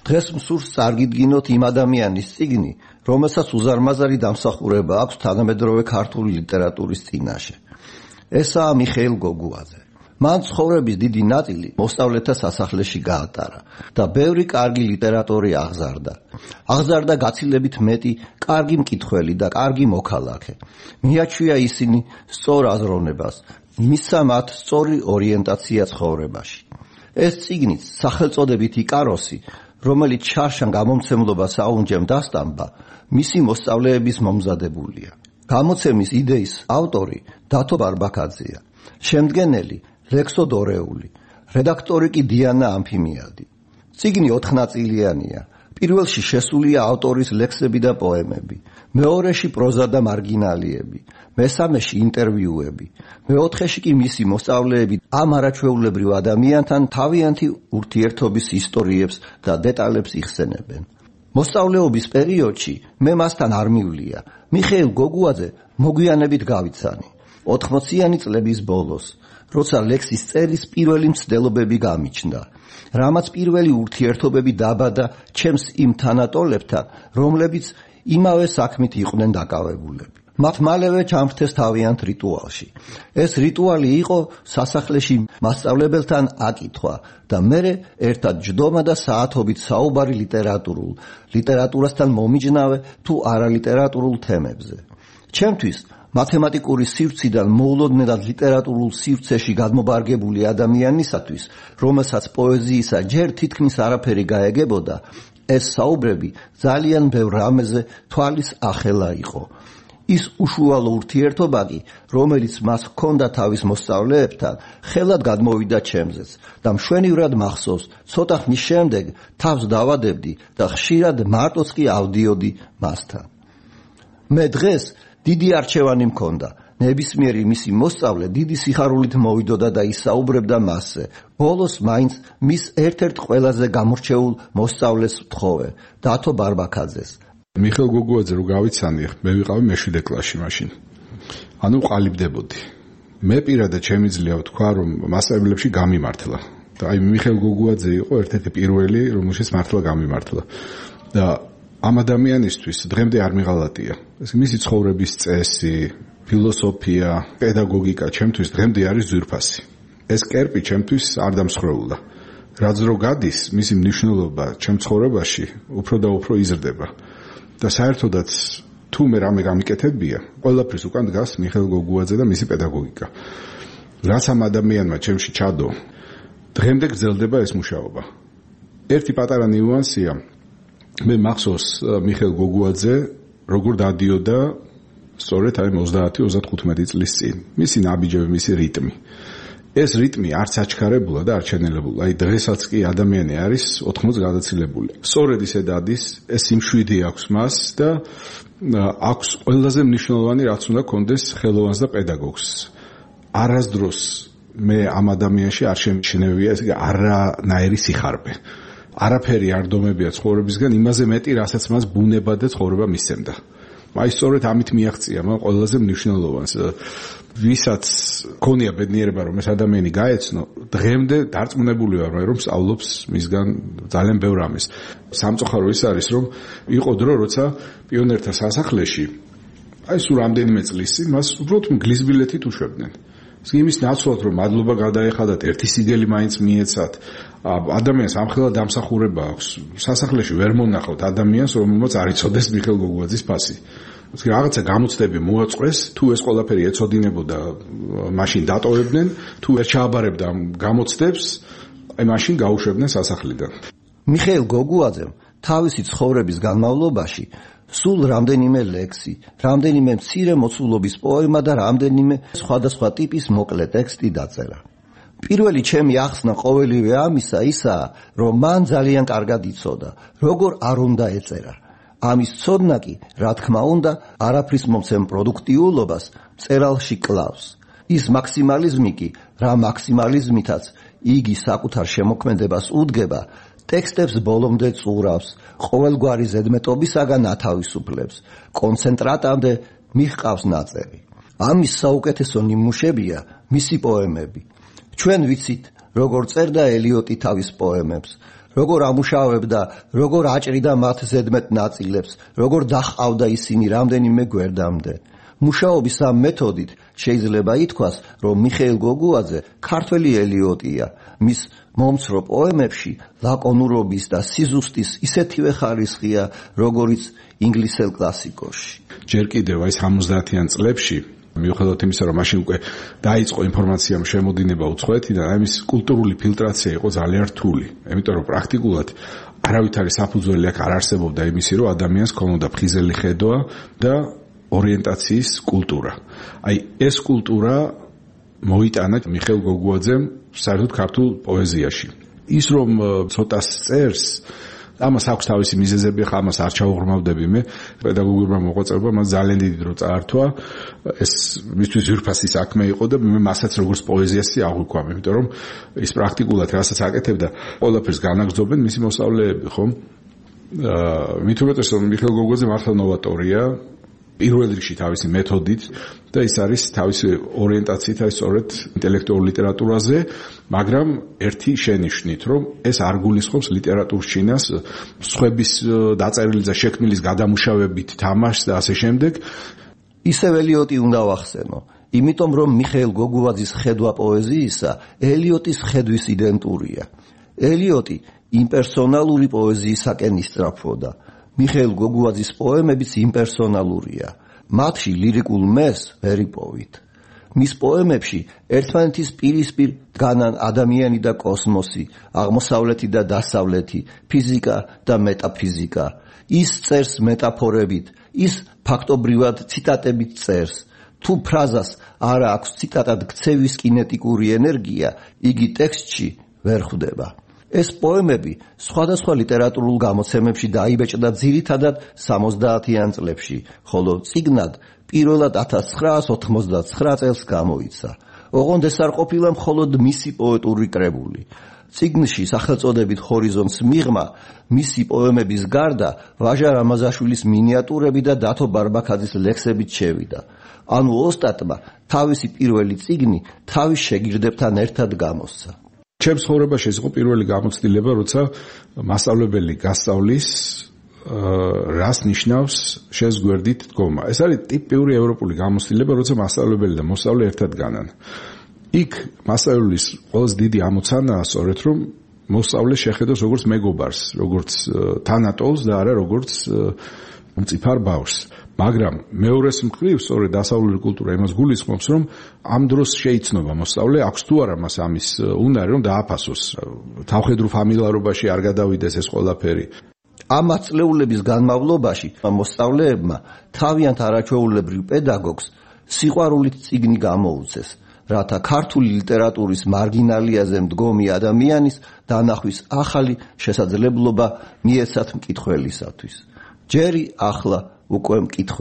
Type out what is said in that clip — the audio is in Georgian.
დღეს მსურს წარგიდგინოთ იმ ადამიანის წიგნი, რომელსაც უზარმაზარი დამსახურება აქვს თანამედროვე ქართული ლიტერატურის წინაშე. ესაა მიხეილ გოგუაძე. მან ცხოვრების დიდი ნაწილი მოსწავლეთა სასახლეში გაატარა და ბევრი კარგი ლიტერატორი აღზარდა. აღზარდა გაცილებით მეტი კარგი მკითხველი და კარგი მოქალაქე. მიაჩვია ისინი სწორ აზროვნებას, მისცა მათ სწორი ორიენტაცია ცხოვრებაში. ეს წიგნიც სახელწოდებით იკაროსი, რომელიც შარშან გამომცემლობას აუნჯემ დასტამბა, მისი მოსწავლეების მომზადებულია. გამოცემის იდეის ავტორი დათო ბარბაკაძეა, შემდგენელი ლექსო დორეული, რედაქტორი კი დიანა ამფიმიადი. წიგნი 4 ნაწილიანია. პირველში შესულია ავტორის ლექსები და პოემები, მეორეში პროზა და მარგინალიები, მესამეში ინტერვიუები, მეოთხეში კი მისი მოსწავლეები ამ არაჩვეულებრივ ადამიანთან თავიანთი ურთიერთობის ისტორიებს და დეტალებს იხსენებენ. მოსწავლეობის პერიოდში მე მასთან არ მივლია. მიხეილ გოგუაძე მოგვიანებით გავიცანი. 80-იანი წლების ბოლოს, როცა ლექსის წერის პირველი მცდელობები გამიჩნდა, რამაც პირველი ურთიერთობები დაბადა ჩემს იმ თანატოლებთან, რომლებიც იმავე საქმით იყვნენ დაკავებულები. მათ მალევე ჩამრთეს თავიანთ რიტუალში. ეს რიტუალი იყო სასახლეში მასწავლებელთან აკითხვა და მერე ერთად ჯდომა და საათობით საუბარი ლიტერატურასთან მომიჯნავე თუ არალიტერატურულ თემებზე. ჩემთვის მათემატიკური სივრციდან მოულოდნელად ლიტერატურულ სივრცეში გადმობარგებული ადამიანისათვის, რომელსაც პოეზიისა ჯერ თითქმის არაფერი გაეგებოდა, ეს საუბრები ძალიან ბევრ რამეზე თვალის ახელა იყო. ის უშუალო ურთიერთობა კი, რომელიც მას ჰქონდა თავის მოსწავლეებთან, ხელად გადმოვიდა ჩემზეც და მშვენივრად მახსოვს, ცოტა ხნის შემდეგ თავს დავადებდი და ხშირად მარტოც კი ავდიოდი მასთან. მე დღეს დიდი არჩევანი მქონდა. ნებისმიერი მისი მოსწავლე დიდი სიხარულით მოვიდოდა და ისაუბრებდა მასზე. ბოლოს მაინც მის ერთ-ერთ ყველაზე გამორჩეულ მოსწავლეს ვთხოვე, დათო ბარბაკაძეს. მიხეილ გოგუაძე რო გავიცანი, მე ვიყავი მე-7 კლასში მაშინ. ანუ ყალიბდებოდი. მე პირადად შემიძლია ვთქვა, რომ მასწავლებლებში გამიმართლა. და აი მიხეილ გოგუაძე იყო ერთ-ერთი პირველი, რომელშიც მართლა გამიმართლა. და ამ ადამიანისთვის დღემდე არ მიღალატია. ეს მისი ცხოვრების წესი, ფილოსოფია, პედაგოგიკა ჩემთვის დღემდე არის ძვირფასი. ეს კერპი ჩემთვის არ დამსხვრეულა. რაც რო გადის, მისი მნიშვნელობა ჩემ ცხოვრებაში უფრო და უფრო იზრდება. და საერთოდაც თუ მე რამე გამიკეთებია, ყველაფრის უკან დგას მიხეილ გოგუაძე და მისი პედაგოგიკა. რაც ამ ადამიანმა ჩემში ჩადო, დღემდე გრძელდება ეს მუშაობა. ერთი პატარა ნიუანსია, მე მახსოვს მიხეილ გოგუაძე როგორ დადიოდა სწორედ აი 30-35 წლის წინ. მისი ნაბიჯები, მისი რიტმი. ეს რიტმი არც აჩქარებულა და არ ჩენელებულა. აი დღესაც კი ადამიანი არის 80 გადაცილებული. სწორედ ისე დადის, ეს სიმშვიდე აქვს მას და აქვს ყველაზე მნიშვნელოვანი რაც უნდა კონდეს ხელოვანს და პედაგოგს. არასდროს მე ამ ადამიანში არ შემჩნევია ეს არანაირი სიხარბე. არაფერი არ დომებია ცხოვრებისგან იმაზე მეტი, რასაც მას ბუნება და ცხოვრება მისცემდა. აი სწორედ ამით მიაღწია მან ყველაზე მნიშვნელოვანს. ვისაც ქონია ბედნიერება რომ ეს ადამიანი გაეცნო, დღემდე დარწმუნებული ვარ რომ სწავლობს მისგან ძალიან ბევრ რამეს. სამწუხარო ის არის რომ იყო დრო როცა პიონერთა სასახლეში აი სულ რამდენიმე წლის წინ მას უბრალოდ მგლის ბილეთით უშვებდნენ. იმის ნაცვლად რომ მადლობა გადაეხადათ, ერთი სიგელი მაინც მიეცათ, ადამიანს ამხელა დამსახურება აქვს. სასახლეში ვერ მონახავთ ადამიანს, რომელმაც არ იცოდეს მიხეილ გოგუაძის ფასი. რაღაცა გამოცდები მოაწყვეს, თუ ეს ყველაფერი ეცოდინებოდა, მაშინ დატოვებდნენ, თუ ვერ ჩააბარებდა ამ გამოცდებს, აი მაშინ გაუშვებდნენ სასახლიდან. მიხეილ გოგუაძემ თავისი ცხოვრების განმავლობაში სულ რამდენიმე ლექსი, რამდენიმე მცირე მოცულობის პოემა და რამდენიმე სხვადასხვა ტიპის მოკლე ტექსტი დაწერა. პირველი ჩემი ახსნა ყოველივე ამისა ისაა, რომ მან ძალიან კარგად იცოდა, როგორ არ უნდა ეწერა. ამის ცოდნა კი, რა თქმა უნდა, არაფრის მომცემ პროდუქტიულობას მწერალში კლავს. ის მაქსიმალიზმი კი, რა მაქსიმალიზმითაც იგი საკუთარ შემოქმედებას უდგება, ტექსტებს ბოლომდე წურავს, ყოველგვარი ზედმეტობისაგან ათავისუფლებს, კონცენტრატამდე მიჰყავს ნაწერი. ამის საუკეთესო ნიმუშებია მისი პოემები. ჩვენ ვიცით, როგორ წერდა ელიოტი თავის პოემებს, როგორ ამუშავებდა, როგორ აჭრიდა მათ ზედმეტ ნაწილებს, როგორ დაჰყავდა ისინი რამდენიმე გვერდამდე. მუშაობის ამ მეთოდით შეიძლება ითქვას, რომ მიხეილ გოგუაძე ქართველი ელიოტია. მის მომცრო პოემებში ლაკონურობის და სიზუსტის ისეთივე ხარისხია, როგორიც ინგლისელ კლასიკოში. ჯერ კიდევ აი 70-იან წლებში მიუხედავად იმისა, რომ მაშინ უკვე დაიწყო ინფორმაციამ შემოდინება უცხოეთიდან, აი მის კულტურული ფილტრაცია იყო ძალიან რთული. იმიტომ რომ პრაქტიკულად არავითარი საფუძველი აქ არ არსებობდა იმისი, რომ ადამიანს ქონოდა ფხიზელი ხედვა და ორიენტაციის კულტურა. აი ეს კულტურა მოიტანა მიხეილ გოგუაძემ საერთოდ ქართულ პოეზიაში. ის რომ ცოტას წერს, ამას აქვს თავისი მიზეზები, ხა ამას არ ჩაუღრმავდები მე, პედაგოგურმა მოღვაწეობამ მას ძალიან დიდი დრო წაართვა. ეს მისთვის ძვირფასი საქმე იყო და მე მასაც როგორც პოეზიასი აღვიქვამ, იმიტომ რომ ის პრაქტიკულად რასაც აკეთებდა, ყველაფერს განაგრძობენ მისი მოსწავლეები, ხო? მით უმეტეს რომ მიხეილ გოგუაძე მართლა ნოვატორია. პირველ რიგში თავისი მეთოდით და ის არის თავისი ორიენტაციით აი სწორედ ინტელექტუალურ ლიტერატურაზე, მაგრამ ერთი შენიშვნით, რომ ეს არ გულისხმობს ლიტერატურის ჩინას, სხვების დაწერილი და შექმნილის გადამუშავებით თამაშს და ასე შემდეგ. ისევ ელიოტი უნდა ვახსენო, იმიტომ რომ მიხეილ გოგუაძის ხედვა პოეზიისა ელიოტის ხედვის იდენტურია. ელიოტი იმპერსონალური პოეზიისაკენ ისწრაფვოდა. მიხეილ გოგუაძის პოემებიც იმპერსონალურია. მათში ლირიკულ მეს ვერ იპოვით. მის პოემებში ერთმანეთის პირისპირ დგანან ადამიანი და კოსმოსი, აღმოსავლეთი და დასავლეთი, ფიზიკა და მეტაფიზიკა. ის წერს მეტაფორებით, ის ფაქტობრივად ციტატებით წერს. თუ ფრაზას არ აქვს ციტატად ქცევის კინეტიკური ენერგია, იგი ტექსტში ვერ ხვდება. ეს პოემები სხვადასხვა ლიტერატურულ გამოცემებში დაიბეჭდა ძირითადად 70-იან წლებში, ხოლო წიგნად პირველად 1989 წელს გამოიცა. ოღონდ ეს არ ყოფილა მხოლოდ მისი პოეტური კრებული. წიგნში სახელწოდებით ჰორიზონტს მიღმა მისი პოემების გარდა ვაჟა რამაზაშვილის მინიატურები და დათო ბარბაქაძის ლექსებით შევიდა. ანუ ოსტატმა თავისი პირველი წიგნი თავის შეგირდებთან ერთად გამოსცა. ჩემს ცხოვრებაში ეს იყო პირველი გამოცდილება, როცა მასწავლებელი გასწავლის რას ნიშნავს შენს გვერდით დგომა. ეს არის ტიპიური ევროპული გამოცდილება, როცა მასწავლებელი და მოსწავლე ერთად განან. იქ მასწავლებლის ყველაზე დიდი ამოცანაა სწორედ რომ მოსწავლე შეხედოს როგორც მეგობარს, როგორც თანატოლს და არა როგორც მწიფარ ბავშვს. მაგრამ მეორეს მხრივ სწორედ დასავლური კულტურა იმას გულისხმობს, რომ ამ დროს შეიცნობა მოსწავლე, აქვს თუ არა მას ამის უნარი, რომ დააფასოს. თავხედრულ ფამილარობაში არ გადავიდეს ეს ყველაფერი. ამ ათწლეულების განმავლობაში მოსწავლეებმა თავიანთ არაჩვეულებრივ პედაგოგს სიყვარულით წიგნი გამოუცეს, რათა ქართული ლიტერატურის მარგინალიაზე მდგომი ადამიანის დანახვის ახალი შესაძლებლობა მიეცათ მკითხველისათვის. ჯერი ახლა უკვე მკითხველს